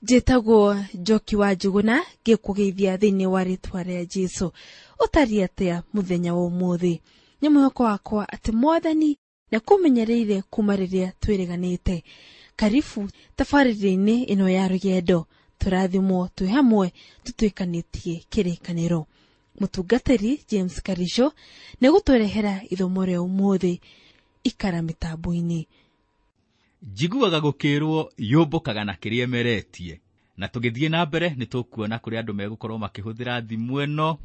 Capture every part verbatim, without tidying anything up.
Njĩtagwo Njoki wa Njuguna, ngĩkũgeithia thĩinĩ wa rĩtwa rĩa Jesũ. Ũtariĩ atĩa mũthenya wa ũmũthĩ? Nĩ mwĩhoko wakwa atĩ Mwathani nĩakũmenyereire kuma rĩrĩa twĩrĩganĩte. Karibu tabarĩra-inĩ ĩno ya rũgendo, tũrathimwo twĩ hamwe tũtuĩkanĩtie kĩrĩkanĩro. Mũtungatĩri James Karisho nĩegũtũrehera ithomo rĩa ũmũthĩ. Ikara mĩtambo-inĩ. Njiguaga gũkĩrwo yũmbũkaga na kĩrĩa ĩmeretie, na tũgĩthiĩ na mbere nĩ tũkuona kũrĩa andũ megũkorwo makĩhũthĩra thimũ ĩno,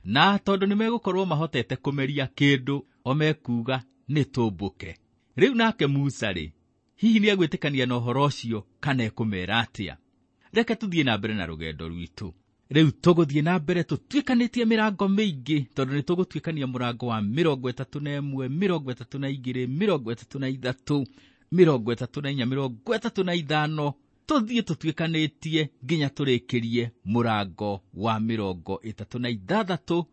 na tondũ nĩ megũkorwo mahotete kũmeria kĩndũ o mekuga nĩ tũmbũke. Rĩu nake Musa rĩ, hihi nĩ egwĩtĩkania na ũhoro ũcio kana ekũmera atĩa? Reke tũthiĩ na mbere na rũgendo rwitũ. Rĩu tũgũthiĩ na mbere tũtuĩkanĩtie mĩrango mĩingĩ, tondũ nĩ tũgũtuĩkania mũrango wa mĩrongo ĩtatũ na ĩmwe, mĩrongo ĩtatũ na igĩrĩ, mĩrongo ĩtatũ na ithatũ, mĩrongo ĩtatũ na inya, mĩrongo ĩtatũ na ithano, tũthiĩ tũtuĩkanĩtie nginya tũrĩkĩrie mũrango wa mĩrongo ĩtatũ na ithathatũ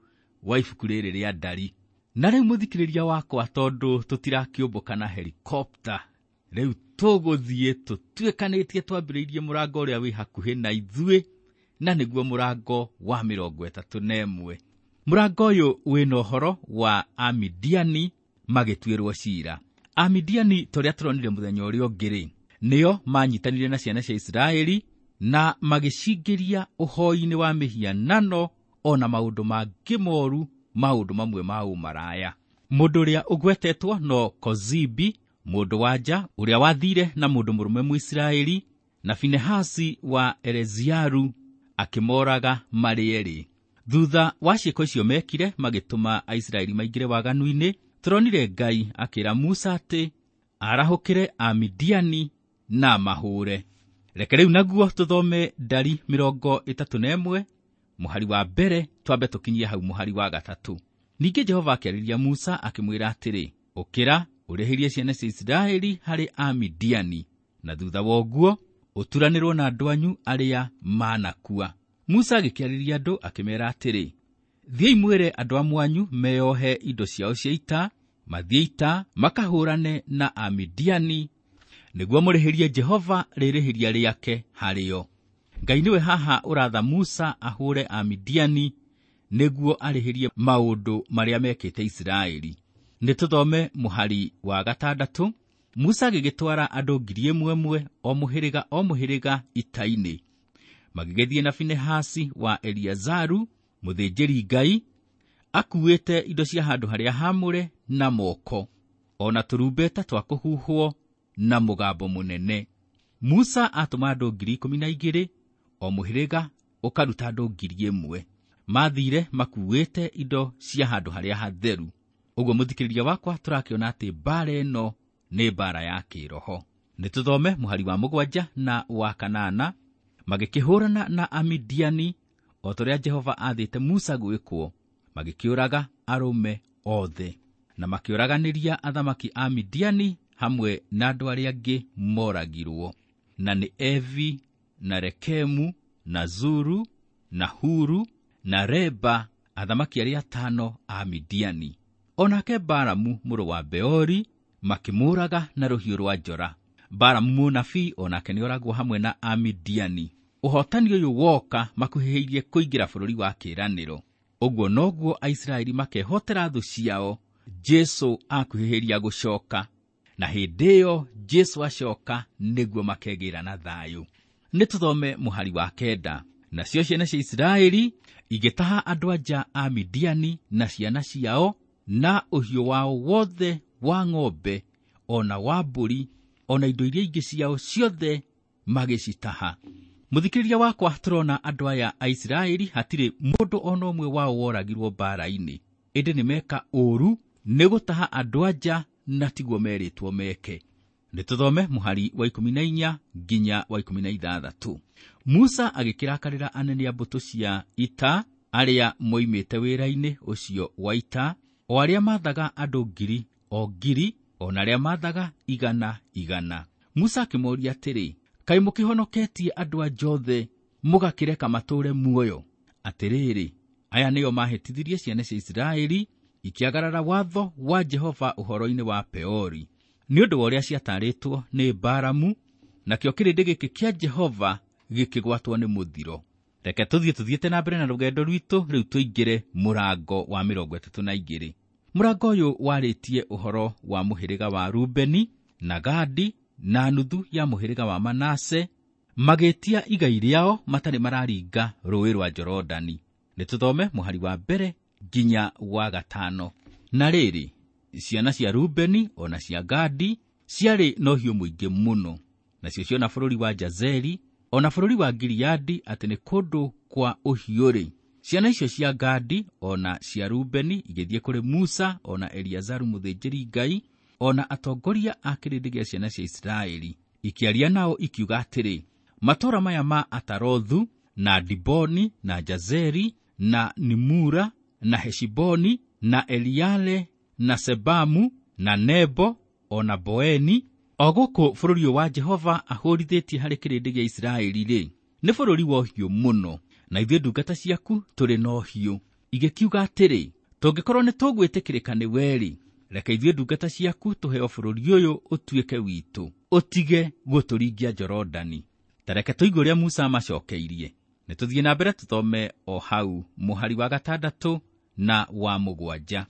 wa ibuku rĩrĩ rĩa Ndari. Na rĩu mũthikĩrĩria wakwa, tondũ tũtirakĩũmbũka na helikopta, rĩu tũgũthiĩ tũtuĩkanĩtie twambĩrĩirie mũrango ũrĩa wĩ hakuhĩ na ithuĩ, na nĩguo mũrango wa mĩrongo ĩtatũ na ĩmwe. Mũrango ũyũ wĩna ũhoro wa Amidiani magĩtuĩrwo ciira. Amidiani torĩa tũronire mũthenya ũrĩa ũngĩ rĩ, nĩo manyitanire na ciana cia Isiraeli na magĩcingĩria ũhoi-inĩ wa mĩhianano ona maũndũ mangĩ moru, maũndũ mamwe ma ũmaraya. Mũndũ ũrĩa ũgwetetwo no Kozibi, mũndũ wa nja ũrĩa wathire na mũndũ mũrũme Mũisiraeli, na Finehasi wa Eleazaru akĩmoraga marĩ erĩ. Thutha wa ciĩko icio mekire, magĩtũma Aisiraeli maingĩre waganu-inĩ. Tũronire Ngai akĩra Musa atĩ arahũkĩre Amidiani na mahũre. Reke rĩu naguo tũthome Ndari mĩrongo ĩtatũ na ĩmwe mũhari wa mbere, twambe tũkinyie hau mũhari wa gatatũ. Ningĩ Jehova akĩarĩria Musa akĩmwĩra atĩrĩ, ũkĩra ũrĩhĩrie ciana cia Isiraeli harĩ Amidiani, na thutha wa ũguo ũturanĩrwo na andũ anyu arĩa manakua. Musa agĩkĩarĩria andũ akĩmeera atĩrĩ, thiĩi mwĩre andũ a mwanyu meyohe indo ciao cia ita, mathiĩ ita makahũrane na Amidiani, nĩguo mũrĩhĩrie Jehova rĩrĩhĩria rĩake harĩo. Ngai nĩwe haha ũratha Musa ahũre Amidiani nĩguo arĩhĩrie maũndũ marĩa mekĩte Isiraeli. Nĩ tũthome mũhari wa gatandatũ. Musa agĩgĩtwara andũ ngiri ĩmwe ĩmwe o mũhĩrĩga o mũhĩrĩga ita-inĩ, magĩgĩthiĩ na Finehasi wa Eleazaru mũthĩnjĩri Ngai akuĩte indo cia handũ harĩa haamũre na moko, ona tũrumbeta twa kũhuhwo na mũgambo mũnene. Musa atũma andũ ngiri ikũmi na igĩrĩ, o mũhĩrĩga ũkaruta andũ ngiri ĩmwe. Mathire makuĩte indo cia handũ harĩa hatheru. Ũguo mũthikĩrĩria wakwa, tũrakĩona atĩ mbaara ĩno nĩ mbaara ya kĩroho. Nĩ tũthome mũhari wa mũgwanja na wa kanana. Magĩkĩhũrana na Amidiani o ta ũrĩa Jehova aathĩte Musa gwĩkwo, magĩkĩũraga arũme othe, na makĩũraganĩria athamaki a Midiani hamwe na andũ arĩa angĩ moragirwo, na nĩ Evi na Rekemu na Zuru na Huru na Reba, athamaki arĩa atano a Midiani. Onake Balamu mũrũ wa Beori makĩmũũraga na rũhiũ rwa njora. Balamu mũnabii onake nĩoragwo hamwe na Amidiani. Ũhotani ũyũ woka makuhĩrĩirie kũingĩra bũrũri wa kĩĩranĩro. Ũguo noguo Aisiraeli makehotera thũ ciao Jesũ akuhĩrĩria gũcoka, na hĩndĩ ĩyo Jesũ acoka nĩguo makegĩra na thayũ. Nĩ tũthome mũhari wa kenda. Nacio ciana cia Isiraeli igĩtaha andũ anja a Midiani na ciana ciao na ũhiũ wao wothe wa ng'ombe ona wa mbũri ona indo iria ingĩ ciao ciothe magĩcitaha. Mũthikĩrĩria wakwa, tũrona andũ aya a Isiraeli hatirĩ mũndũ ona ũmwe wao woragirwo mbaara-inĩ, ĩndĩ nĩ meka ũũru nĩ gũtaha andũ anja na tiguo merĩtwo meke. Nĩ tũthome mũhari wa ikũmi na inya nginya wa ikũmi na ithathatũ. Musa agĩkĩrakarĩra anene a mbũtũ cia ita arĩa moimĩte wĩra-inĩ ũcio wa ita, o arĩa maathaga andũ ngiri o ngiri, o na arĩa maathaga igana igana. Musa akĩmoria atĩrĩ, kaĩ mũkĩhonoketie andũ a Jothe mũgakĩreka matũũre muoyo? Atĩrĩrĩ, aya nĩo mahĩtithirie ciana cia Isiraeli ikĩagarara watho wa Jehova ũhoro-inĩ wa Peori, nĩ ũndũ wa ũrĩa ciatarĩtwo nĩ Balamu, nakĩo kĩrĩndĩ gĩkĩ kĩa Jehova gĩkĩgwatwo nĩ mũthiro. Reke tũthiĩ tũthiĩte na mbere na rũgendo rwitũ rĩu tũingĩre mũrango wa mĩrongo ĩtatũ na igĩrĩ. Mũrango ũyũ warĩtie ũhoro wa mũhĩrĩga wa Rubeni na Gadi na nuthu ya mũhĩrĩga wa Manase magĩtia igai rĩao matarĩ mararinga rũũĩ rwa Jorodani. Nĩ tũthome mũhari wa mbere nginya wa gatano. Na rĩrĩ, ciana cia Rubeni ona cia Gadi ciarĩ na ũhiũ mũingĩ mũno, nacio ciona bũrũri wa Jazeri ona bũrũri wa Gileadi atĩ nĩ kũndũ kwa ũhiũ-rĩ. Ciana icio cia Gadi ona cia Rubeni igĩthiĩ kũrĩ Musa ona Eliazaru mũthĩnjĩri-Ngai ona atongoria a kĩrĩndĩ gĩa ciana cia Isiraeli, ikĩaria nao ikiuga atĩrĩ, matũũra maya ma Atarothu na Diboni na Jazeri na Nimura na Heshiboni na Eliale na Sebamu na Nebo ona Boeni, o gũkũ bũrũri ũyũ wa Jehova ahũrithĩtie harĩ kĩrĩndĩ gĩa Isiraeli-rĩ, nĩ bũrũri wa ũhiũ mũno, na ithuĩ ndungata ciaku tũrĩ na ũhiũ. Igĩkiuga atĩrĩ, tũngĩkorwo nĩ tũgwĩtĩkĩrĩka nĩ we-rĩ, reke ithuĩ ndungata ciaku tũheo bũrũri ũyũ ũtuĩke witũ, ũtige gũtũringia Jorodani. Ta reke tũigue ũrĩa Musa amacokeirie. Nĩ tũthiĩ na mbere tũthome o hau mũhari wa gatandatũ na wa mũgwanja.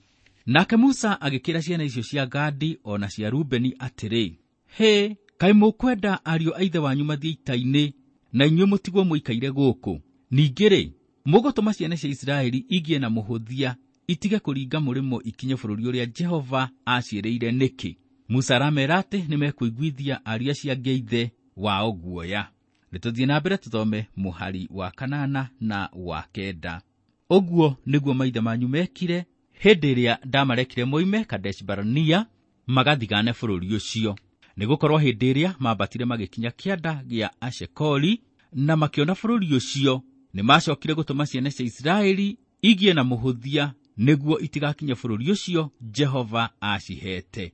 Nake Musa agĩkĩra ciana icio cia Gadi ona cia Rubeni atĩrĩ, hĩ, kaĩ mũkwenda ariũ a ithe wanyu mathiĩ ita-inĩ na inyuĩ mũtigwo mũikaire gũkũ? Ningĩ-rĩ, mũgũtũma ciana cia Isiraeli igĩe na mũhũthia itige kũringa mũrĩmo ikinye bũrũri ũrĩa Jehova aciĩrĩire nĩkĩ? Musa aramera atĩ nĩmekũiguithia ariũ acio angĩ a ithe wao guoya. Nĩ tũthiĩ na mbere tũthome mũhari wa kanana na wa kenda. Ũguo nĩguo maithe manyu mekire hĩndĩ ĩrĩa ndamarekire moime Kadesh Barnea magathigane bũrũri ũcio, nĩgũkorwo hĩndĩ ĩrĩa mambatire magĩkinya kĩanda gĩa Ashekori na makĩona bũrũri ũcio, nĩmacokire gũtũma ciana cia Isiraeli igĩe na mũhũthia nĩguo itigakinye bũrũri ũcio Jehova acihete.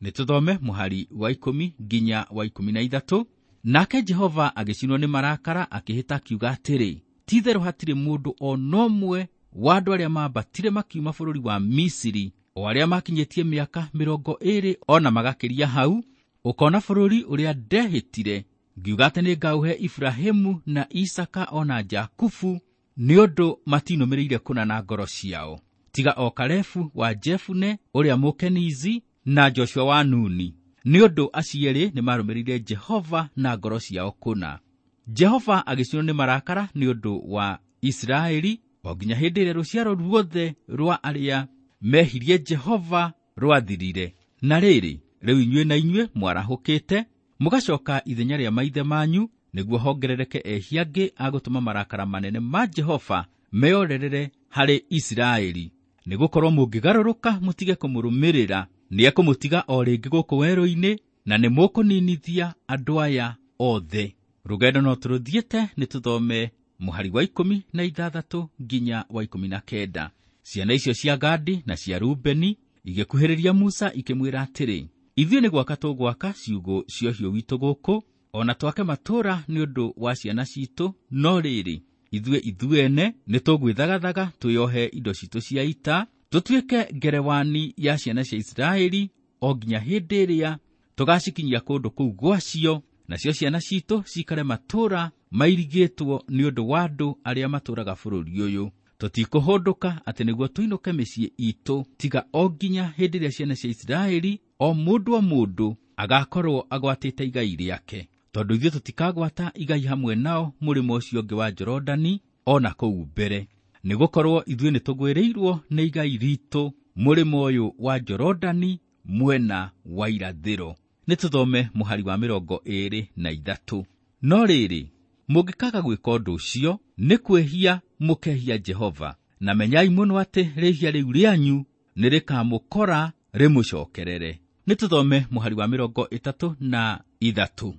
Nĩ tũthome mũhari wa ikũmi nginya wa ikũmi na ithatũ. Nake Jehova agĩcinwo nĩ marakara akĩhĩta akiuga atĩrĩ, ti-itherũ hatirĩ mũndũ o na ũmwe wa andũ arĩa mambatire makiuma bũrũri wa Misiri, o arĩa makinyĩtie mĩaka mĩrongo ĩĩrĩ o na magakĩria hau, ũkona bũrũri ũrĩa ndehĩtire ngiuga atĩ nĩngaũhe Iburahĩmu na Isaka o na Jakubu, nĩ ũndũ matinũmĩrĩire kũna na ngoro ciao, tiga o Kalebu wa Jefune ũrĩa Mũkenizi na Joshua wa Nuni, nĩ ũndũ acio erĩ nĩmarũmĩrĩire Jehova na ngoro ciao kũna. Jehova agĩcinwo nĩ marakara nĩ ũndũ wa Isiraeli o nginya hĩndĩ ĩrĩa rũciaro ruothe rwa arĩa mehirie Jehova rwathirire. Na rĩrĩ, rĩu inyuĩ na inyuĩ mwarahũkĩte mũgacoka ithenya rĩa maithe manyu, nĩguo hongerereke ehia angĩ a gũtũma marakara manene ma Jehova meorerere harĩ Isiraeli. Nĩgũkorwo mũngĩgarũrũka mũtige kũmũrũmĩrĩra, nĩekũmũtiga o rĩngĩ gũkũ werũ-inĩ, na nĩmũkũninithia andũ aya othe. Rũgendo no tũrũthiĩte, nĩ tũthome mũhari wa ikũmi na ithathatũ nginya wa ikũmi na kenda. Ciana icio cia Gadi na cia Rubeni igĩkuhĩrĩria Musa ikĩmwĩra atĩrĩ, ithuĩ nĩ gwaka tũgwaka ciugũ cia ũhiũ witũ gũkũ, o na twake matũũra nĩ ũndũ wa ciana citũ, no rĩrĩ, ithuĩ ithuene nĩ tũgwĩthagathaga twĩohe indo citũ cia ita, tũtuĩke ngerewani ya ciana cia Isiraeli o nginya hĩndĩ ĩrĩa tũgacikinyia kũndũ kũu gwacio, nacio ciana citũ cikare matũũra mairigĩtwo nĩ ũndũ wa andũ arĩa matũũraga bũrũri ũyũ. Tũtikũhũndũka atĩ nĩguo tũinũke mĩciĩ itũ, tiga o nginya hĩndĩ ĩrĩa ciana cia Isiraeli o mũndũ o mũndũ agakorwo agwatĩte igai rĩake, tondũ ithuĩ tũtikagwata igai hamwe nao mũrĩmo ũcio ũngĩ wa Jorodani o na kũu mbere, nĩgũkorwo ithuĩ nĩtũgwĩrĩirwo nĩ igai ritũ mũrĩmo ũyũ wa Jorodani mwena wa irathĩro. Nĩ tũthome mũhari wa mĩrongo ĩĩrĩ na ithatũ. No rĩrĩ, mũngĩkaga gwĩka ũndũ ũcio, nĩ kwĩhia mũkehia Jehova, na menyai mũno atĩ rĩhia rĩu rĩanyu nĩrĩkamũkora rĩmũcokerere. Nĩ tũthome mũhari wa mĩrongo ĩtatũ na ithatũ.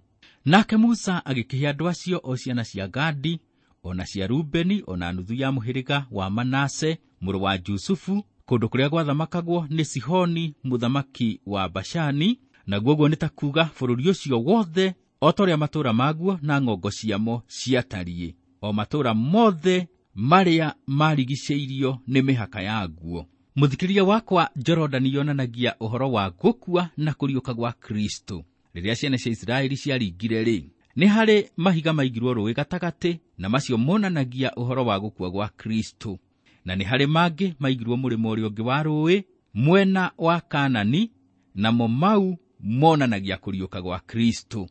Nake Musa agĩkĩhe andũ acio o ciana cia Gadi o na cia Rubeni o na nuthu ya mũhĩrĩga wa Manase mũrũ wa Jusufu, kũndũ kũrĩa gwathamakagwo nĩ Sihoni mũthamaki wa Bashani, naguo ũguo nĩ ta kuuga bũrũri ũcio wothe o ta ũrĩa matũũra maguo na ng'ongo ciamo ciatariĩ, o matũũra mothe marĩa marigicĩirio nĩ mĩhaka yaguo. Mũthikĩrĩria wakwa, Jorodani yonanagia ũhoro wa gũkua na kũriũka gwa Kristo. Rĩrĩa ciana cia Isiraeli ciaringire-rĩ, Nĩ harĩ mahiga maigirwo rũũĩ gatagatĩ, na macio monanagia ũhoro wa gũkua gwa Kristo. Na nĩ harĩ mangĩ maigirwo mũrĩmo ũrĩa ũngĩ wa rũũĩ, mwena wa Kanani, namo mau monanagia kũriũka gwa Kristo.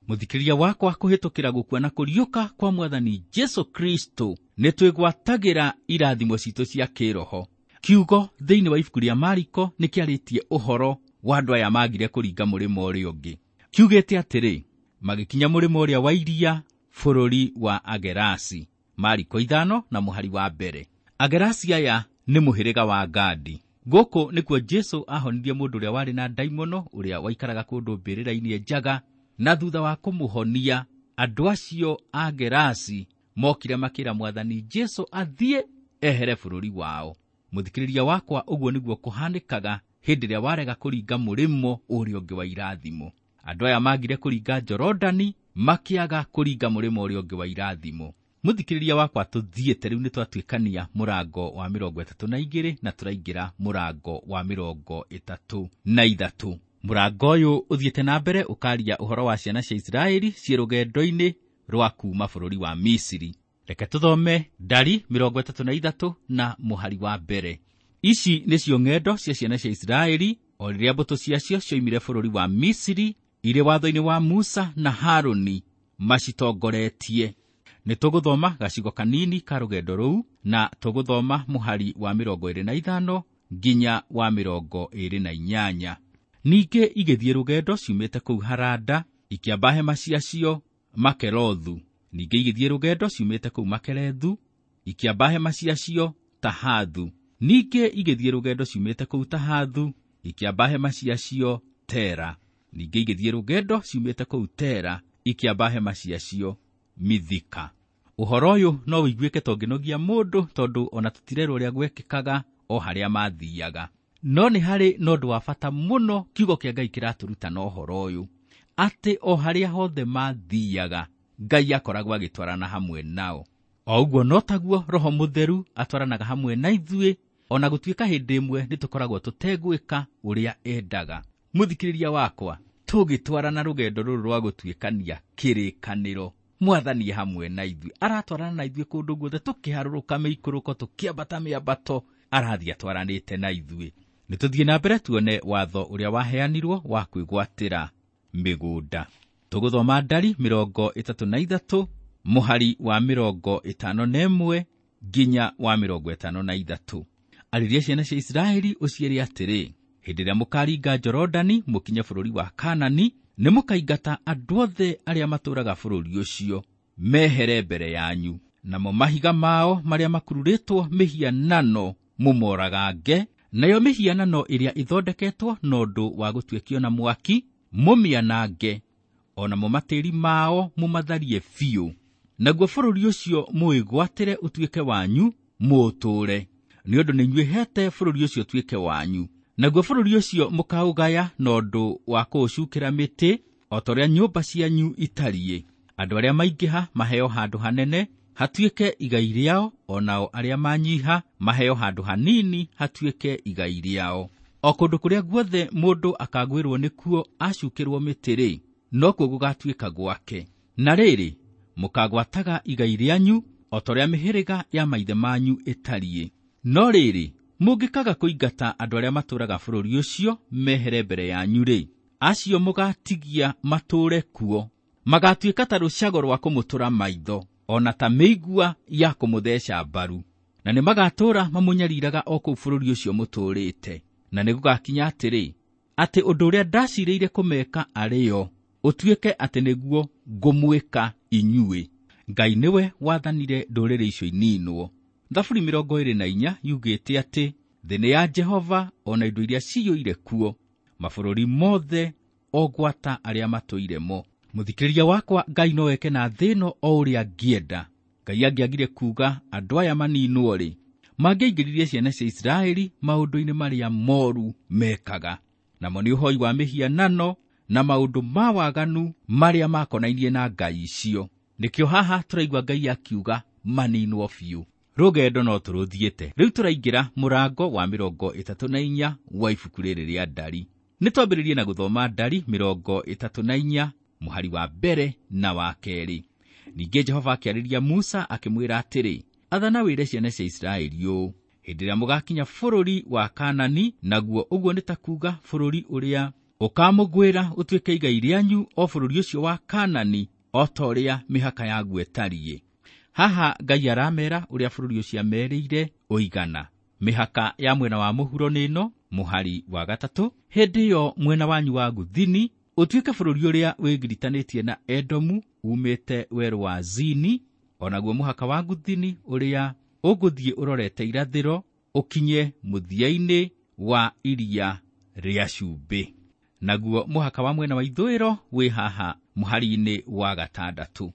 Mũthikĩrĩria wakwa, kũhĩtũkĩra gũkua na kũriũka kwa Mwathani Jesu Kristo, nĩ twĩgwatagĩra irathimo citũ cia kĩroho. Kiugo thĩinĩ wa ibuku rĩa Mariko nĩ kĩarĩtie ũhoro wa andũ aya magire kũringa mũrĩmo ũrĩa ũngĩ. Kiugĩte atĩrĩ, magĩkinya mũrĩmo ũrĩa wa iria, bũrũri wa Agerasi. Mariko ithano na mũhari wa mbere. Agerasi aya nĩ mũhĩrĩga wa Gadi. Gũkũ nĩkuo Jesu ahonirie mũndũ ũrĩa warĩ na ndaimono, ũrĩa waikaraga kũndũ mbĩrĩra-inĩ njaga, na thutha wa kũmũhonia, andũ acio a Gerasi mokire makĩra Mwathani Jesu athiĩ ehere bũrũri wao. Mũthikĩrĩria wakwa, ũguo nĩguo kũhanĩkaga hĩndĩ ĩrĩa warega kũringa mũrĩmo ũrĩa ũngĩ wa irathimo. Andũ aya magire kũringa Jorodani, makĩaga kũringa mũrĩmo ũrĩa ũngĩ wa irathimo. Mũthikĩrĩria wakwa, tũthiĩte rĩu nĩ twatuĩkania mũrango wa mĩrongo ĩtatũ na igĩrĩ na tũraingĩra mũrango wa mĩrongo ĩtatũ na ithatũ. Mũrango ũyũ ũthiĩte na mbere ũkaria ũhoro wa ciana cia Isiraeli ciĩ rũgendo-inĩ rwa kuuma bũrũri wa Misiri. Reke tũthome Ndari mĩrongo ĩtatũ na ithatũ na mũhari wa mbere. Ici nĩcio ng'endo cia ciana cia Isiraeli o rĩrĩa mbũtũ ciacio cioimire bũrũri wa Misiri irĩ watho-inĩ wa Musa na Harũni macitongoretie. Nĩ tũgũthoma gacigo kanini ka rũgendo rũu, na tũgũthoma mũhari wa mĩrongo ĩrĩ na ithano nginya wa mĩrongo ĩrĩ na inyanya. Ningĩ igĩthiĩ rũgendo ciumĩte kũu Harada, ikĩamba hema ciacio Makelothu. Ningĩ igĩthiĩ rũgendo ciumĩte kũu Makelethu, ikĩamba hema ciacio Tahathu. Ningĩ igĩthiĩ rũgendo ciumĩte kũu Tahathu, ikĩamba hema ciacio Tera. Ningĩ igĩthiĩ rũgendo ciumĩte kũu Tera, ikĩamba hema ciacio Mithika. Ũhoro ũyũ no ũiguĩke ta ũngĩnogia mũndũ, tondũ ona tũtirerwo ũrĩa gwekĩkaga o harĩa mathiaga. No nĩ harĩ na ũndũ wa bata mũno kiugo kĩa Ngai kĩratũruta na ũhoro ũyũ, atĩ o harĩa hothe mathiaga, Ngai akoragwo agĩtwarana hamwe nao. O ũguo no taguo Roho Mũtheru atwaranaga hamwe na ithuĩ, ona gũtuĩka hĩndĩ ĩmwe nĩ tũkoragwo tũtegwĩka ũrĩa endaga. Mũthikĩrĩria wakwa, tũgĩtwarana rũgendo rũrũ rwa gũtuĩkania kĩrĩkanĩro, Mwathani hamwe na ithuĩ, aratwarana na ithuĩ kũndũ guothe, tũkĩharũrũka mĩikũrũko, tũkĩambata mĩambato, arathiĩ atwaranĩte na ithuĩ. Nĩ tũthiĩ na mbere tuone watho ũrĩa waheanirwo wa kwĩgwatĩra mĩgũnda. Tũgũthoma Ndari mĩrongo ĩtatũ na ithatũ, mũhari wa mĩrongo ĩtano na ĩmwe nginya wa mĩrongo ĩtano na ithatũ. Arĩria ciana cia Isiraeli ũciĩre atĩrĩ, hĩndĩ ĩrĩa mũkaringa Jorodani mũkinye bũrũri wa Kanani, nĩ mũkaingata andũ othe arĩa matũũraga bũrũri ũcio mehere mbere yanyu, namo mahiga mao marĩa makururĩtwo mĩhianano mũmoragange, nayo mĩhianano ĩrĩa ĩthondeketwo na ũndũ wa gũtuĩkio na mwaki mũmĩanange, o namo matĩri mao mũmatharie biũ. Naguo bũrũri ũcio mũwĩgwatĩre ũtuĩke wanyu, mũũtũũre, nĩ ũndũ nĩ inyuĩ hete bũrũri ũcio ũtuĩke wanyu. Naguo bũrũri ũcio mũkaũgaya na ũndũ wa kũũcukĩra mĩtĩ, o ta ũrĩa nyũmba cianyu itariĩ. Andũ arĩa maingĩha maheo handũ hanene hatuĩke igai rĩao, o nao arĩa manyiha maheo handũ hanini hatuĩke igai rĩao. O kũndũ kũrĩa guothe mũndũ akagwĩrwo nĩkuo acukĩrwo mĩtĩ-rĩ, nokuo gũgatuĩka gwake. Na rĩrĩ, mũkagwataga igai rĩanyu o ta ũrĩa mĩhĩrĩga ya maithe manyu ĩtariĩ. No rĩrĩ, mũngĩkaga kũingata andũ arĩa matũũraga bũrũri ũcio mehere mbere yanyu-rĩ, acio mũgatigia matũũre kuo, magatuĩka ta rũcago rwa kũmũtũra maitho, ona ta mĩigua ya kũmũtheca mbaru. Na nĩ magatũũra mamũnyariraga o kũu bũrũri ũcio mũtũũrĩte. Na nĩ gũgakinya atĩrĩ, atĩ ũndũ ũrĩa ndacirĩire kũmeka arĩo ũtuĩke atĩ nĩguo ngũmwĩka inyuĩ. Ngai nĩwe wathanire ndũrĩrĩ icio ininwo. Thaburi mĩrongo ĩrĩ na inya yugĩte atĩ thĩ nĩ ya Jehova, ona indo iria ciyũire kuo, mabũrũri mothe o gwata arĩa matũire mo. Mũthikĩrĩria wakwa, Ngai no eke na thĩ ĩno o ũrĩa angĩenda. Ngai angĩagire kuuga andũ aya maninwo-rĩ, mangĩaingĩririe ciana cia Isiraeli maũndũ-inĩ marĩa moru mekaga, namo nĩ ũhoi wa mĩhianano na maũndũ ma waganu marĩa makonainie na ngai icio. Nĩkĩo haha tũraigua Ngai akiuga maninwo biũ. Rũgendo no tũrũthiĩte. Rĩu tũraingĩra mũrango wa mĩrongo ĩtatũ na inya wa ibuku rĩrĩ rĩa Ndari. Nĩ twambĩrĩrie na gũthoma Ndari mĩrongo ĩtatũ na inya mũhari wa mbere na wa kerĩ. Ningĩ Jehova akĩarĩria Musa akĩmwĩra atĩrĩ, athana wĩre ciana cia Isiraeli ũũ, hĩndĩ ĩrĩa mũgakinya bũrũri wa Kaanani, naguo ũguo nĩ ta kuuga bũrũri ũrĩa ũkamũgwĩra ũtuĩke igai rĩanyu, o bũrũri ũcio wa Kaanani, o ta ũrĩa mĩhaka yaguo ĩtariĩ. Haha Ngai aramera ũrĩa bũrũri ũcio amerĩire ũigana. Mĩhaka ya mwena wa mũhuro nĩ ĩno, mũhari wa gatatũ, hĩndĩ ĩyo mwena wanyu wa gũthini ũtuĩke bũrũri ũrĩa wĩgiritanĩtie na Edomu umĩte werũ wa Zini, o naguo mũhaka wa gũthini ũrĩa ũgũthiĩ ũrorete irathĩro ũkinye mũthia-inĩ wa iria rĩa cumbĩ. Naguo mũhaka wa mwena wa ithũĩro wĩ haha mũhari-inĩ wa gatandatũ.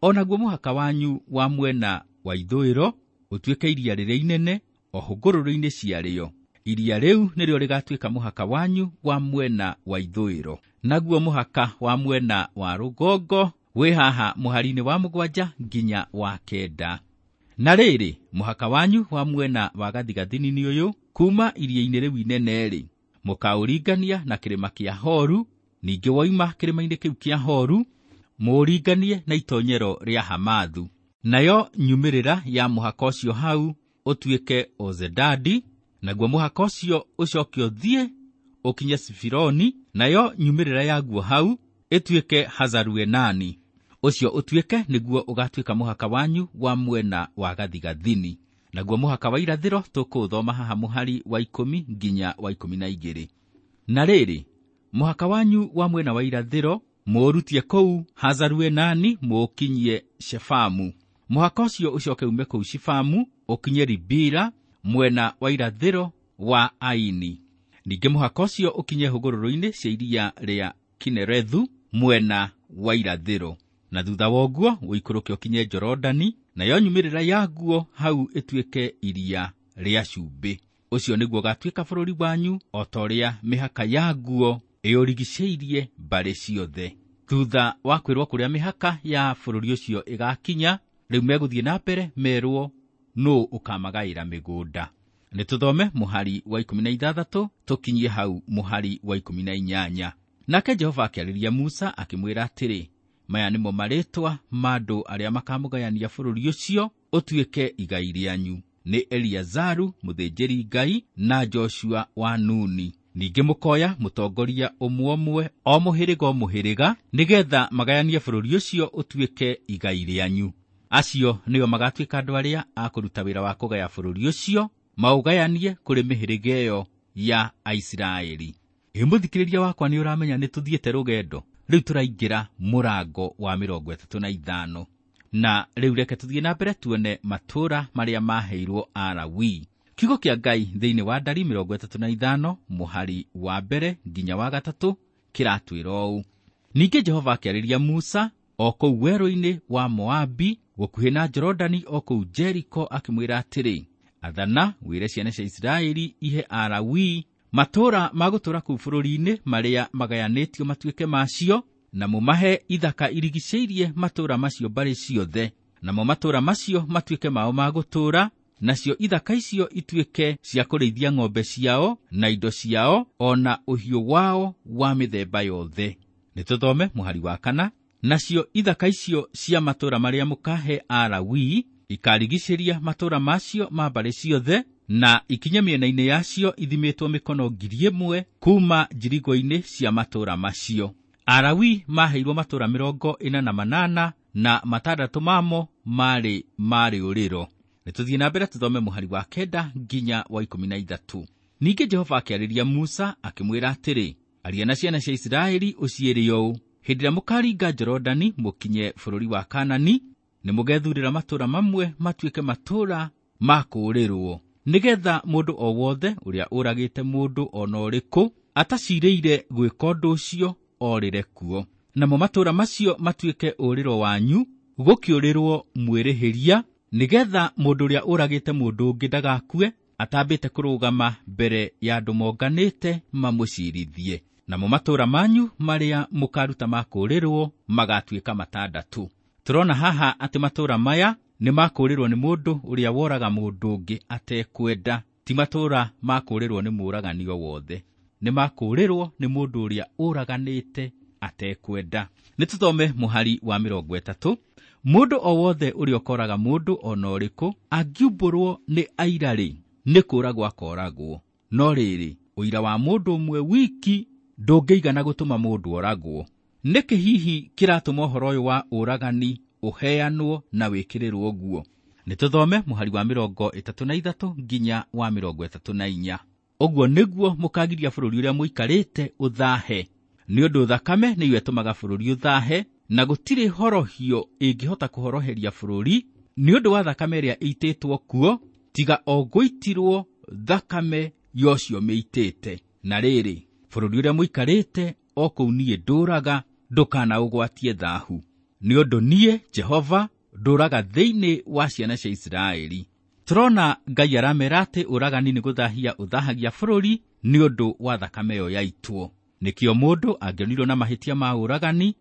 O naguo mũhaka wanyu wa mwena wa ithũĩro ũtuĩke iria rĩrĩa inene o hũgũrũrũ-inĩ ciarĩo. Iria rĩu nĩrĩo rĩgatuĩka mũhaka wanyu wa mwena wa ithũĩro. Naguo mũhaka wa mwena wa rũgongo wĩ haha mũhari-inĩ wa mũgwanja nginya wa kenda. Na rĩrĩ, mũhaka wanyu wa mwena wa gathigathini nĩ ũyũ, kuma iria-inĩ rĩu inene-rĩ, mũkaũringania na kĩrĩma kĩa Horu, ningĩ woima kĩrĩma-inĩ kĩu kĩa Horu, mũũringanie na itonyero rĩa Hamathu. Nayo nyumĩrĩra ya mũhaka ũcio hau ũtuĩke Ozedadi, naguo mũhaka ũcio ũcoke ũthiĩ ũkinye Sifironi, nayo nyumĩrĩra yaguo hau ĩtuĩke Hazaruenani. Ũcio ũtuĩke nĩguo ũgatuĩka mũhaka wanyu wa mwena wa gathigathini. Naguo mũhaka wa irathĩro tũkũũthoma haha mũhari wa ikũmi nginya wa ikũmi na igĩrĩ. Na rĩrĩ, mũhaka wanyu wa mwena wa irathĩro mũũrutie kũu Hazaruenani mũũkinyie Shefamu. Mũhaka ũcio ũcoke ume kũu Shefamu ũkinye Ribila mwena wa irathĩro wa Aini. Ningĩ mũhaka ũcio ũkinye hũgũrũrũ-inĩ cia iria rĩa Kinerethu mwena wa irathĩro. Na thutha wa ũguo ũikũrũke ũkinye Jorodani, nayo nyumĩrĩra yaguo hau ĩtuĩke iria rĩa cumbĩ. Ũcio nĩguo ũgatuĩka bũrũri wanyu o ta ũrĩa mĩhaka yaguo ĩũrigicĩirie mbarĩ ciothe. Thutha wa kwĩrwo kũrĩa mĩhaka ya bũrũri ũcio ĩgakinya, rĩu megũthiĩ na mbere merwo nũũ ũkamagaĩra mĩgũnda. Nĩ tũthome mũhari wa ikũmi na ithathatũ tũkinyie hau mũhari wa ikũmi na inyanya. Nake Jehova akĩarĩria Musa akĩmwĩra atĩrĩ, maya nĩmo marĩĩtwa ma andũ arĩa makamũgayania bũrũri ũcio ũtuĩke igai rĩanyu, nĩ Eliazaru mũthĩnjĩri Ngai na Joshua wa Nuni. Ningĩ mũkoya mũtongoria ũmwe ũmwe o mũhĩrĩga o mũhĩrĩga, nĩgetha magayanie bũrũri ũcio ũtuĩke igai rĩanyu. Acio nĩo magatuĩka andũ arĩa a kũruta wĩra wa kũgaya bũrũri ũcio, maũgayanie kũrĩ mĩhĩrĩga ĩyo ya Aisiraeli. Ĩ mũthikĩrĩria wakwa, nĩ ũramenya nĩ tũthiĩte rũgendo. Rĩu tũraingĩra mũrango wa mĩrongo ĩtatũ na ithano. Na rĩu reke tũthiĩ na mbere tuone matũũra marĩa maheirwo Alawii. Kiugo kĩa Ngai thĩinĩ wa Ndari mĩrongo ĩtatũ na ithano mũhari wa mbere nginya wa gatatũ kĩratwĩra ũũ. Ningĩ Jehova akĩarĩria Musa o kũu werũ-inĩ wa Moabi gũkuhĩ na Jorodani o kũu Jeriko akĩmwĩra atĩrĩ, athana wĩre ciana cia Isiraeli ihe Alawii matũũra ma gũtũũra kũu bũrũri-inĩ marĩa magayanĩtio matuĩke macio, na mũmahe ithaka irigicĩirie matũũra macio mbarĩ ciothe, namo matũũra macio matuĩke mao ma gũtũũra, nacio ithaka icio ituĩke cia kũrĩithia ng'ombe ciao na indo ciao o na ũhiũ wao wa mĩthemba yothe. Nĩ tũthome mũhari wa kana. Nacio ithaka icio cia matũũra marĩa mũkahe Alawii ikarigicĩria matũũra macio ma mbarĩ ciothe, na ikinye mĩena-inĩ yacio ithimĩtwo mĩkono ngiri ĩmwe kuma njirigo-inĩ cia matũũra macio. Alawii maheirwo matũũra mĩrongo ĩna na manana na matandatũ mamo marĩ ma rĩũrĩro. Nĩ tũthiĩ na mbere tũthome mũhari wa kenda nginya wa ikũmi na ithatũ. Ningĩ Jehova akĩarĩria Musa akĩmwĩra atĩrĩ, aria na ciana cia Isiraeli ũciĩre ũũ, hĩndĩ ĩrĩa mũkaringa Jorodani mũkinye bũrũri wa Kaanani, nĩ mũgethurĩra matũũra mamwe matuĩke matũũra ma kũũrĩrwo, nĩgetha mũndũ o wothe ũrĩa ũragĩte mũndũ o na ũrĩkũ atacirĩire gwĩka ũndũ ũcio orĩre kuo. Namo matũũra macio matuĩke ũrĩro wanyu, gũkĩũrĩrwo mwĩrĩhĩria, nĩgetha mũndũ ũrĩa ũragĩte mũndũ ũngĩ ndagakue atambĩte kũrũgama mbere ya andũ monganĩte mamũcirithie. Namo matũũra manyu marĩa mũkaruta ma kũũrĩrwo magatuĩka matandatũ. Tũrona haha atĩ matũũra maya nĩ makũũrĩrwo nĩ mũndũ ũrĩa woraga mũndũ ũngĩ atekwenda, ti matũũra makũũrĩrwo nĩ mũũragani o wothe, nĩ makũũrĩrwo nĩ mũndũ ũrĩa ũraganĩte atekwenda. Nĩ tũthome mũhari wa mĩrongo ĩtatũ. Mũndũ o wothe ũrĩa ũkoraga mũndũ o na ũrĩkũ angiumbũrwo nĩ aira-rĩ, nĩ kũũragwo akooragwo. No rĩrĩ, ũira wa mũndũ ũmwe wiki ndũngĩigana gũtũma mũndũ oragwo. Nĩkĩ hihi kĩratũma ũhoro ũyũ wa ũragani ũheanwo na wĩkĩrĩrwo ũguo? Nĩ tũthome mũhari wa mĩrongo ĩtatũ na ithatũ nginya wa mĩrongo ĩtatũ na inya. Ũguo nĩguo mũkagiria bũrũri ũrĩa mũikarĩte ũthahe, nĩ ũndũ thakame nĩyo ĩtũmaga bũrũri ũthahe, na gũtirĩ horohio ĩngĩhota kũhoroheria bũrũri nĩ ũndũ wa thakame ĩrĩa ĩitĩtwo kuo, tiga o gũitirwo thakame ya ũcio mĩitĩte. Na rĩrĩ, bũrũri ũrĩa mũikarĩte o kũu niĩ ndũũraga, ndũkanaũgwatie thahu, nĩ ũndũ niĩ Jehova ndũũraga thĩinĩ wa ciana cia Isiraeli. Tũrona Ngai aramera atĩ ũragani nĩ gũthahia ũthahagia bũrũri nĩ ũndũ wa thakame ĩyo yaitwo. Nĩkĩo mũndũ angĩonirwo na mahĩtia ma ũragani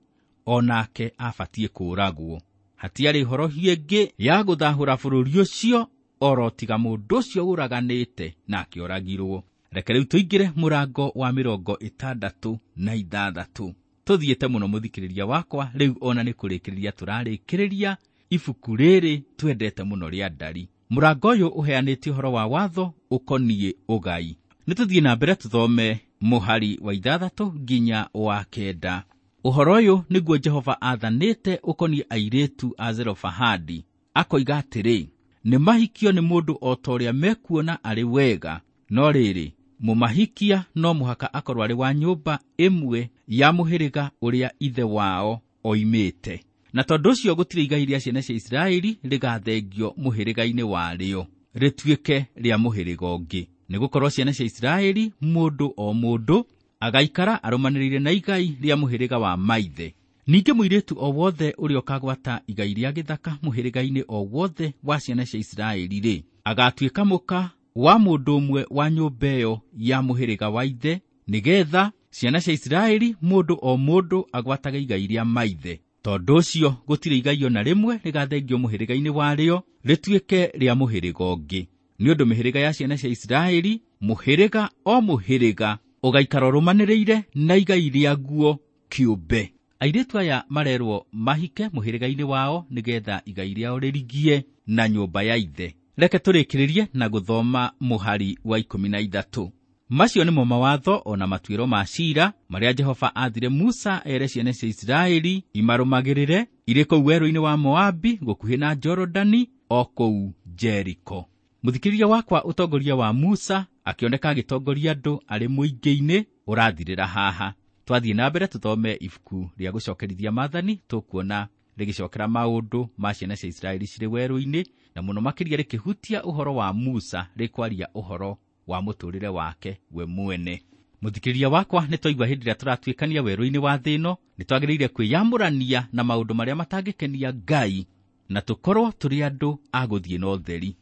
o nake abatiĩ kũũragwo. Hatiarĩ horohio ĩngĩ ya gũthahũra bũrũri ũcio oro tiga mũndũ ũcio ũraganĩte na akĩoragirwo. Reke rĩu tũingĩre mũrango wa mĩrongo ĩtandatũ na ithathatũ. Tũthiĩte mũno mũthikĩrĩria wakwa, rĩu ona nĩ kũrĩkĩrĩria tũrarĩkĩrĩria ibuku rĩrĩ twendete mũno rĩa Ndari. Mũrango ũyũ ũheanĩte ũhoro wa watho ũkoniĩ ũgai. Nĩ tũthiĩ na mbere tũthome mũhari wa ithathatũ nginya wa kenda. Ũhoro ũyũ nĩguo Jehova aathanĩte ũkoniĩ airĩtu a Zelofehadi, akoiga atĩrĩ, nĩ mahikio nĩ mũndũ o ta ũrĩa mekuona arĩ wega, no rĩrĩ, mũmahikia no mũhaka akorwo arĩ wa nyũmba ĩmwe ya mũhĩrĩga ũrĩa ithe wao oimĩte. Na tondũ ũcio gũtirĩ igai rĩa ciana cia Isiraeli rĩgathengio mũhĩrĩga-inĩ warĩo, rĩtuĩke rĩa mũhĩrĩga ũngĩ. Nĩgũkorwo ciana cia Isiraeli mũndũ o mũndũ agaikara arũmanĩrĩire na igai rĩa mũhĩrĩga wa maithe. Ningĩ mũirĩtu o wothe ũrĩa ũkagwata igai rĩa gĩthaka mũhĩrĩga-inĩ o wothe wa ciana cia Isiraeli-rĩ, agatuĩka mũka wa mũndũ ũmwe wa nyũmba ĩyo ya mũhĩrĩga wa ithe, nĩgetha ciana cia Isiraeli mũndũ o mũndũ agwatage igai rĩa maithe. Tondũ ũcio gũtirĩ igai o na rĩmwe rĩgathengio mũhĩrĩga-inĩ warĩo rĩtuĩke rĩa mũhĩrĩga ũngĩ. Nĩ ũndũ mĩhĩrĩga ya ciana cia Isiraeli, mũhĩrĩga o mũhĩrĩga ũgaikara ũrũmanĩrĩire na igai rĩaguo kĩũmbe. Airĩtu aya marerwo mahike mũhĩrĩga-inĩ wao nĩgetha igai rĩao rĩrigie na nyũmba ya ithe. Reke tũrĩkĩrĩrie na gũthoma mũhari wa ikũmi na ithatũ. Macio nĩmo mawatho o na matuĩro ma ciira marĩa Jehova aathire Musa ere ciana cia Isiraeli imarũmagĩrĩre irĩ kũu werũ-inĩ wa Moabi gũkuhĩ na Jorodani o kũu Jeriko. Mũthikĩrĩria wakwa, ũtongoria wa Musa akĩoneka agĩtongoria andũ arĩ mũingĩ-inĩ ũrathirĩra haha. Twathiĩ na mbere tũthome ibuku rĩa gũcokerithia maathani, tũkuona rĩgĩcokera maũndũ ma ciana cia Isiraeli cirĩ werũ-inĩ, na mũno makĩria rĩkĩhutia ũhoro wa Musa, rĩkwaria ũhoro wa mũtũũrĩre wake we mwene. Mũthikĩrĩria wakwa, nĩ twaigua hĩndĩ ĩrĩa tũratuĩkania werũ-inĩ wa thĩ ĩno, nĩ twagĩrĩire kwĩyamũrania na maũndũ marĩa matangĩkenia Ngai, na tũkorwo tũrĩ andũ a gũthiĩ na ũtheri.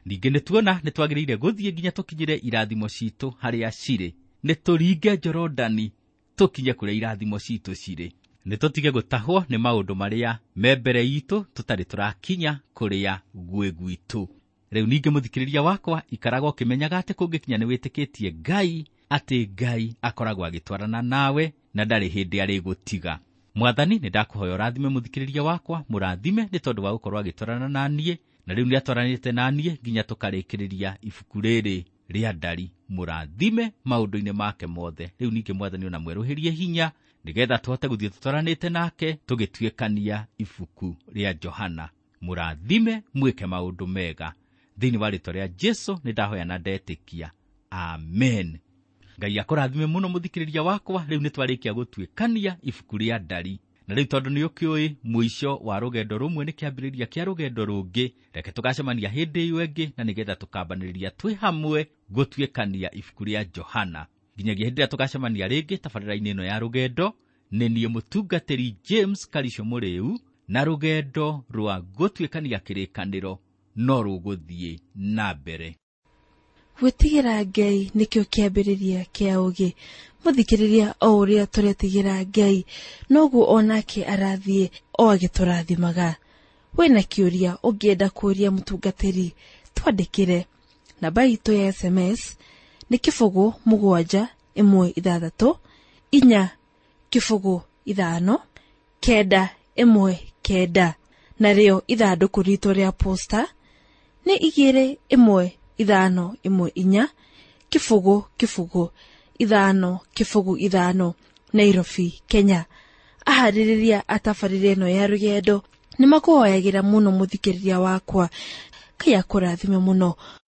Ningĩ nĩ tuona nĩ twagĩrĩire gũthiĩ nginya tũkinyĩre irathimo citũ harĩa cirĩ, nĩ tũringe Jorodani tũkinye kũrĩa irathimo citũ cirĩ. Nĩ tũtige gũtahwo nĩ maũndũ marĩa me mbere itũ tũtarĩ tũrakinya kũrĩa gwĩ gwitũ. Rĩu ningĩ mũthikĩrĩria wakwa, ikaraga ũkĩmenyaga atĩ kũngĩkinya nĩ wĩtĩkĩtie Ngai, atĩ Ngai akoragwo agĩtwarana nawe na ndarĩ hĩndĩ arĩgũtiga. Mwathani, nĩ ndakũhoya ũrathime mũthikĩrĩria wakwa, mũrathime nĩ tondũ wa gũkorwo agĩtwarana na niĩ, na rĩu nĩatwaranĩte na niĩ nginya tũkarĩkĩrĩria ibuku rĩrĩ rĩa Ndari. Mũrathime maũndũ-inĩ make mothe. Rĩu ningĩ Mwathani ona mwerũhĩrie hinya nĩgetha tũhote gũthiĩ tũtwaranĩte nake tũgĩtuĩkania ibuku rĩa Johana. Mũrathime mwĩke maũndũ mega. Thĩinĩ wa rĩĩtwa rĩa Jesu nĩ ndahoya na ndetĩkia. Amen. Ngai akũrathime mũno mũthikĩrĩria wakwa. Rĩu nĩ twarĩkia gũtuĩkania ibuku rĩa Ndari. Na rĩu tondũ nĩ ũkĩũĩ mũico wa rũgendo rũmwe nĩ kĩambĩrĩria kĩa rũgendo rũngĩ, reke tũgacemania hĩndĩ ĩyo ĩngĩ, na nĩgetha tũkambanĩrĩria twĩ hamwe gũtuĩkania ibuku rĩa Johana. Nginyagia hĩndĩ ĩrĩa tũgacemania rĩngĩ tabarĩra-inĩ ĩno ya rũgendo, nĩ niĩ mũtungatĩri James Karisho Mũrĩu, na rũgendo rwa gũtuĩkania kĩrĩkanĩro no rũgũthiĩ na mbere. Gwĩtigĩra Ngai nĩkĩo kĩambĩrĩria kĩa ũũgĩ. Mũthikĩrĩria, o ũrĩa tũretigĩra Ngai noguo onake arathiĩ o agĩtũrathimaga. Wĩna kĩũria ũngĩenda kũũria mũtungatĩri, twandĩkĩre. Namba itũ ya S M S nĩ kĩbũgũ mũgwanja ĩmwe ithathatũ inya kĩbũgũ ithano kenda ĩmwe kenda, narĩo ithandũkũ ritũ rĩa posta nĩ igĩrĩ ĩmwe ithano ĩmwe inya kĩbũgũ kĩbũgũ ithano kĩbũgũ ithano, Nairobi, Kenya. Aharĩrĩria a tabarĩra ĩno ya rũgendo nĩ makũhoyagĩra mũno mũthikĩrĩria wakwa. Ngai akũrathime mũno.